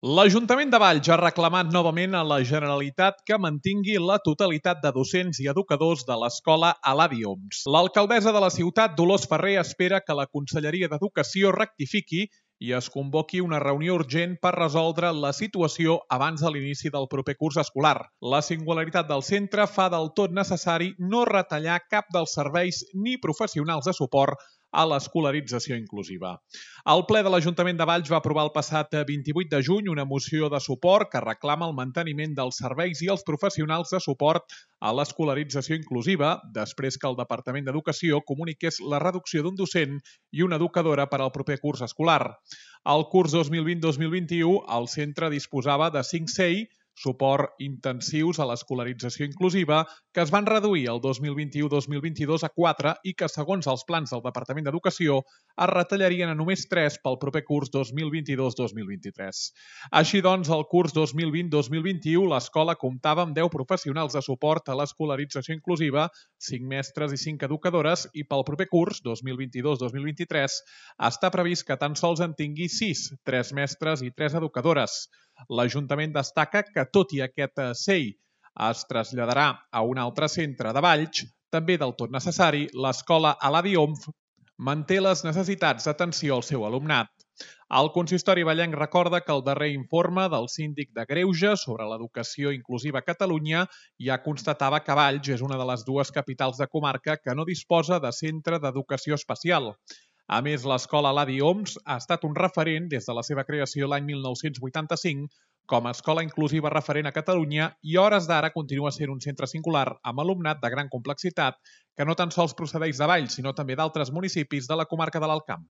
L'Ajuntament de Valls ha reclamat novament a la Generalitat que mantingui la totalitat de docents i educadors de l'escola Eladi Homs. L'alcaldessa de la ciutat, Dolors Ferrer, espera que la Conselleria d'Educació rectifiqui i es convoqui una reunió urgent per resoldre la situació abans de l'inici del proper curs escolar. La singularitat del centre fa del tot necessari no retallar cap dels serveis ni professionals de suport a l'escolarització inclusiva. El ple de l'Ajuntament de Valls va aprovar el passat 28 de juny una moció de suport que reclama el manteniment dels serveis i els professionals de suport a l'escolarització inclusiva, després que el Departament d'Educació comuniqués la reducció d'un docent i una educadora per al proper curs escolar. Al curs 2020-2021, el centre disposava de 5 CEI, suport intensius a l'escolarització inclusiva, que es van reduir el 2021-2022 a 4 i que, segons els plans del Departament d'Educació, es retallarien a només 3 pel proper curs 2022-2023. Així doncs, el curs 2020-2021 l'escola comptava amb 10 professionals de suport a l'escolarització inclusiva, 5 mestres i 5 educadores, i pel proper curs 2022-2023 està previst que tan sols en tingui 6, 3 mestres i 3 educadores. L'Ajuntament destaca que, tot i aquest CEI es traslladarà a un altre centre de Valls, també del tot necessari, l'escola Eladi Homs manté les necessitats d'atenció al seu alumnat. El consistori vallenc recorda que el darrer informe del síndic de Greuges sobre l'educació inclusiva a Catalunya ja constatava que Valls és una de les 2 capitals de comarca que no disposa de centre d'educació especial. A més, l'escola Eladi Homs ha estat un referent des de la seva creació l'any 1985 com a escola inclusiva referent a Catalunya i a hores d'ara continua sent un centre singular amb alumnat de gran complexitat que no tan sols procedeix de Valls, sinó també d'altres municipis de la comarca de l'Alt Camp.